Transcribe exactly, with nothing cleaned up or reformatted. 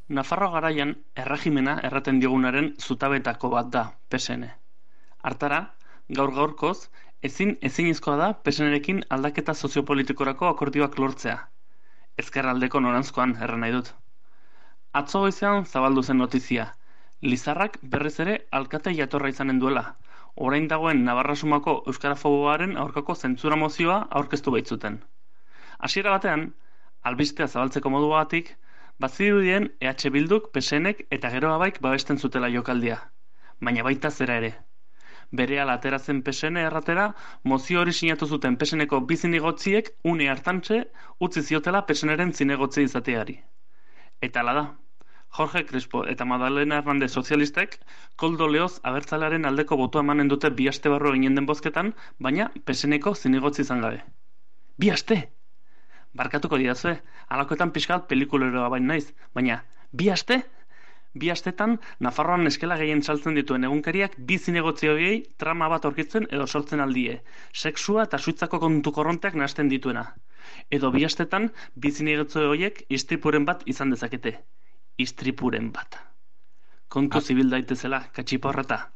Nafarroa garaian erregimena erraten diogunaren zutabetako bat da P S N. Hartara, gaur gaurkoz, ezin ezinezkoa da P S N-rekin aldaketa soziopolitikorako akordioak lortzea. Ezkerraldeko noranzkoan erran nahi dut. Atzo goizean zabaldu zen notizia. Lizarrak berriz ere alkate jatorra izanen duela. Orain dagoen Navarra-Sumako euskarafoboaren aurkako zentzura mozioa aurkeztu baitzuten. Hasiera batean, albistea zabaltzeko moduagatik, bazirudien E H Bilduk, P S N-ek eta gero abaik babesten zutela jokaldia. Baina baita zera ere. Berehala atera zen P S N erratera, mozio hori sinatu zuten P S N-eko bi zinegotziek une hartantxe utzi ziotela P S N-ren zinegotzi izateari. Eta hala da. Jorge Crespo eta Madalena Hernandez sozialistek Koldo Leoz abertzalearen aldeko botua emanen dute bi aste barru eginen den bozketan, baina P S N-eko zinegotzi izan gabe. Bi aste! Barkatuko didazue, halakoetan pixkat pelikuleroa bain naiz, baina bi aste? Bi astetan, Nafarroan eskela gehien saltzen dituen egunkariak bi zinegotzi horiei trama bat aurkitzen edo sortzen aldie. Sexua eta suitzako kontu korronteak nahasten dituena. Edo bi astetan, bi zinegotzi horiek istripuren bat izan dezakete. Istripuren bat. Kontu zibil daitezela, katxiporreta.